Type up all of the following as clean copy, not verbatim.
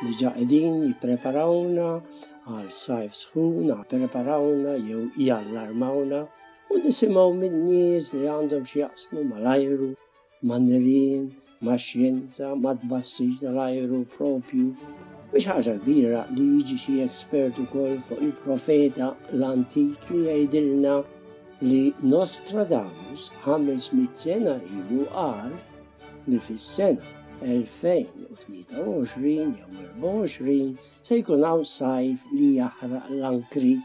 Diġà qegħdin jippreparawna għal sajf sħun, preparawna jew jallarmawna u nisimgħu minn nies li għandhom x'jaqsmu mal-ajru, man-nirien, max-xjenza, mat-tbassir tal-ajru propju. Mhix ħaġa kbira li jiġi xi expert ukoll fuq il-profeta l-antik li jgħidilna li Nostradamus 500 sena ilu qal li fis-sena 2023 jew 24 se jkun hawn sajf li jaħraq l-ankri.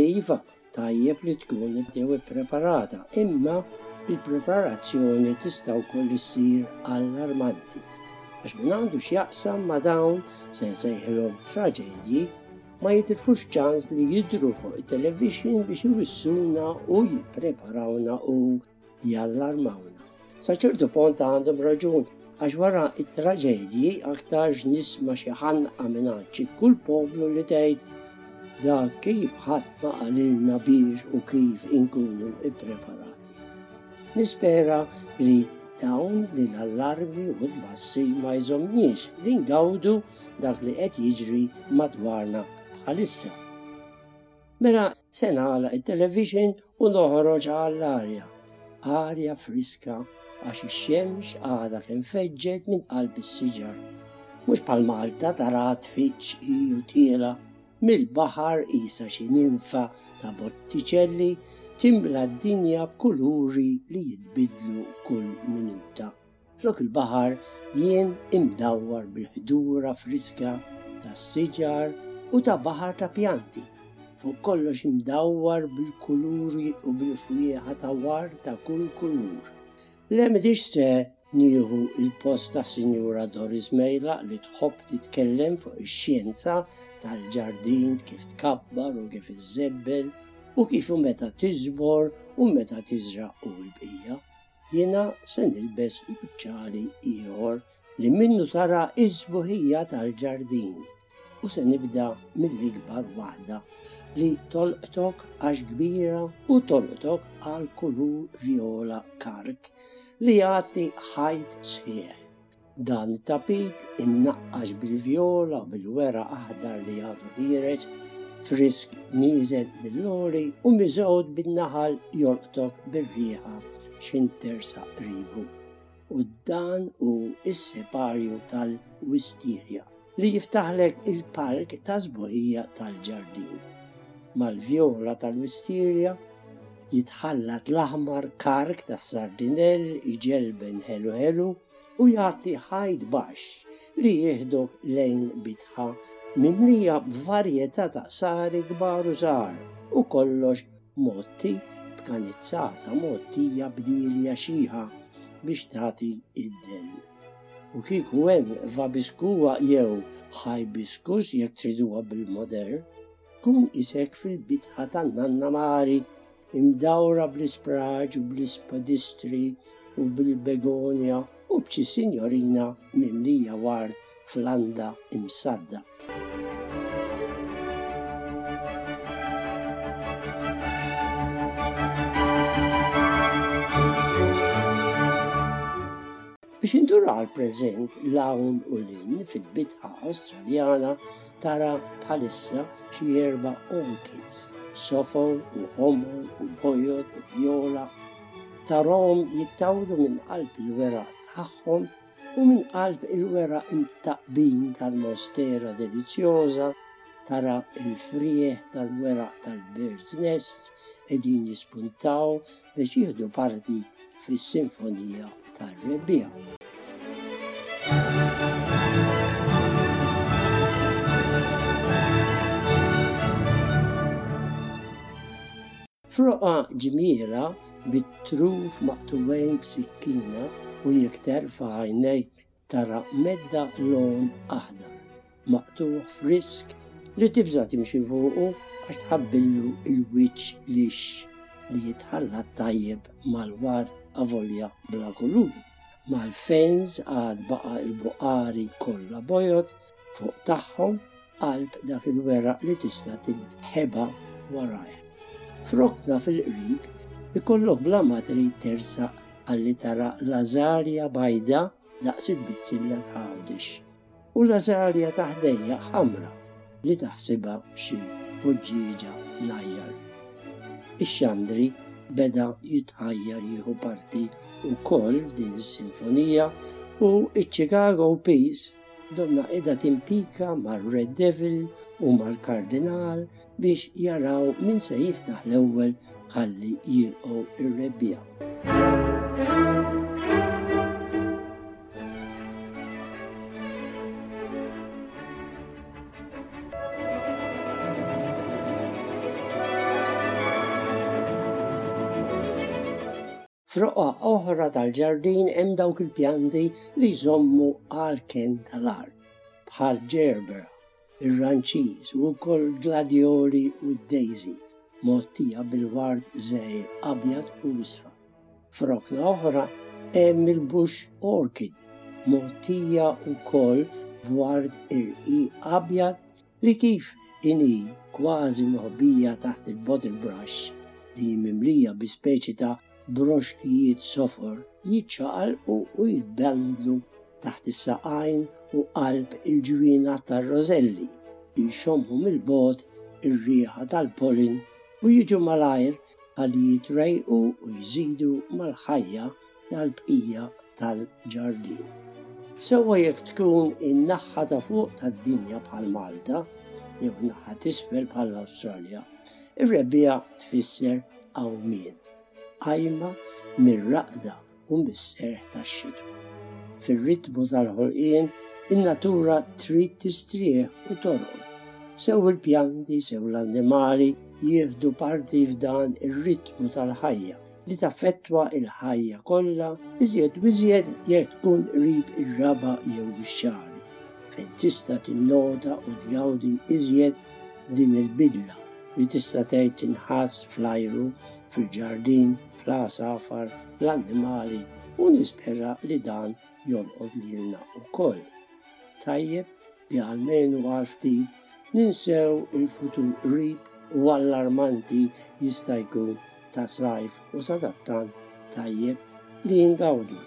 Iva, Tajjeb li tkun jew ippreparata, imma il-preparazzjoni tista' wkoll issir allarmanti. Għax min għandu x'jaqsam ma' dawn, se nsejħilhom traġedji, ma jitilfux ċans li jidhru fuq it-television biex iwissuna u jippreparawna u jallarmawna. Sa ċertu pont għandhom raġun, għax wara it-traġedji aktarx nisma' xi ħanqa mingħand xi kull poplu li tgħid dak kif ħadd ma qalilna biex u kif inkunu ippreparati. Nispera li dawn li l-allarmi u t-tbassir ma jżommniex li ngawdu dak li qed jiġri madwarna bħalissa. Mela se nagħlaq it-television u noħroġ għall-arja. Arja friska għax ix-xemx għadha kemm feġġet minn qalb is-siġar. Mhux bħal Malta taraha tfiġġ hi u tiela' mill-baħar qisha xi ninfa ta' Botticelli timla d-dinja b'kuluri li jitbiddlu kull minuta. Flok il-baħar jien imdawwar bil-ħdura friska tas-siġar u ta' baħar ta' pjanti. Fuq kollox imdawwar bil-kuluri u bil-fwieħa ta' ward ta' kull kulur. Le m'idix se nieħu l-post tas-Sinjura Doris Mejlaq li tħobb titkellem fuq ix-xjenza tal-ġardin, kif tkabbar u kif iżżebbel u kif u meta tiżbor u meta tiżra' u l-bqija. Jiena se nilbes nuċċali ieħor li minnu tara s-sbuħija tal-ġardin u se nibda mill-ikbar waħda li tolqtok għax kbira u tolqtok għal kulur vjola kark li jagħti ħajt sħiħ. Dan it-tapit imnaqqax bil-vjola u bil-weraq aħdar li għadu ħiereġ, frisk nieżel mill-għoli u miżgħud bin-naħal jolqtok bir-riħa x'int tersaq qribu. U dan hu s-separju tal-wisteria li jiftaħlek il-palk ta' sbuħija tal-ġardin. Mal-vjola tal-wisteria jitħallat l-aħmar kark tas-sardinell iġelben ħelu ħelu u jagħti ħajt baxx li jieħdok lejn bitħa mimlija b'varjetà ta' qsari kbar u żgħar u kollox mgħotti b'kanizzata mgħottija b'dielja xiħa biex tagħti d-dell. U kieku hemm vabiskuwa jew hibiscus jekk triduha bil-modern, tkun qisek fil-bitħa tan-nanna Mari imdawra bl-ispraġ u bl-ispadistri u bil-begonja u b'xi sinjorina mimlija ward f'landa imsadda. Biex indur għall-preżent 'l hawn u 'l hinn fil-bitħa Awstraljana tara bħalissa xi erba' orchids, sofor u ħomor u bojod u vjola. Tarahom jittawlu minn qalb il-weraq tagħhom u minn qalb il-weraq imtaqqbin tal-monstera delizzjoża tara l-frieħ tal-weraq tal-bird's nest qegħdin jispuntaw biex jieħdu parti fis-Sinfonija tar-Rebbiegħa. F'roqgħa ġmielha bit-truf maqtugħin b'sikkina u jekk terfa' għajnejk Tara medda lon aħdar, maqtugħ frisk li tibża' timxi fuqu għax tħabbillu l-wiċċ lixx li jitħallat tajjeb mal-ward avolja bla kulur. Mal-fens għad baqa' l-buqari kollha bojod fuq tagħhom qalb dak il-weraq li tista' tinħeba warajh. F'rokna fil-qrib ikollok bla ma trid tersaq ħalli tara l-ażalja bajda daqs il-bizzilla ta' Għawdex u l-ażalja ta' ħdejja ħamra li taħsibha xi poġġieġa najjar. Ix-xandri beda jitħajjar jieħu parti wkoll f'din is-sinfonija u ċ-Chicago Peace donnha qiegħda timpika mar-Red Devil u mal-Kardinal biex jaraw min se jiftaħ l-ewwel ħalli jilqgħu r-rebbiegħa. F'roqgħa oħra tal-ġardin hemm dawk il-pjanti li jżommu għall-kenn tal-art, bħall-ġerbera, ir-ranċiż u wkoll gladjoli u d-daisy mgħottija bil-ward żgħir abjad u isfar. F'rokna oħra hemm il-bush orchid mgħottija wkoll b'ward irqiq abjad li kif inhi kważi moħbija taħt il-bottle brush li hi mimlija bi speċi ta' broxkijiet sofor jiċċaqalqu u jitbandlu taħt is-saqajn u qalb il-ġwienaħ tar-rożelli li jxommu mill-bogħod ir-riħa tal-pollen u jiġu malajr ħalli jitrejqu u jżidu mal-ħajja tal-bqija tal-ġardin. Sewwa jekk tkun in-naħa ta' fuq tad-dinja bħal Malta jew in-naħa t'isfel bħall-Awstralja, ir-rebbiegħa tfisser qawmien, qajma mir-raqda u mis-serħ tax-xitwa. Fir-ritmu tal-ħolqien, in-natura trid tistrieħ u torqod. Sew il-pjanti, sew l-annimali jieħdu parti f'dan ir-ritmu tal-ħajja li taffettwa l-ħajja kollha iżjed u iżjed jekk tkun qrib ir-raba' jew ix-xagħri, fejn tista' tinnota u tgawdi iżjed din il-bidla li tista' tgħid tinħass fl-ajru, fil-ġardin, fl-għasafar, l-annimali u nispera li dan jolqot lilna wkoll. Tajjeb li almenu għal ftit ninsew il-futur qrib u allarmanti jista' jkun ta' sajf u sadattant tajjeb li ngawdu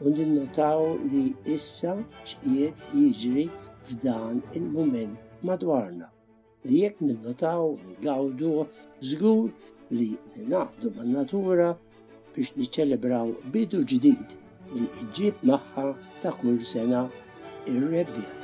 u ninnotaw li issa x'qiegħed jiġri f'dan il-mument madwarna. Li jekk ninnotaw u ngawduh żgur li ningħaqdu man-natura biex niċċelebraw bidu ġdid li ġġib magħha ta' kull sena ir-rebbiegħa.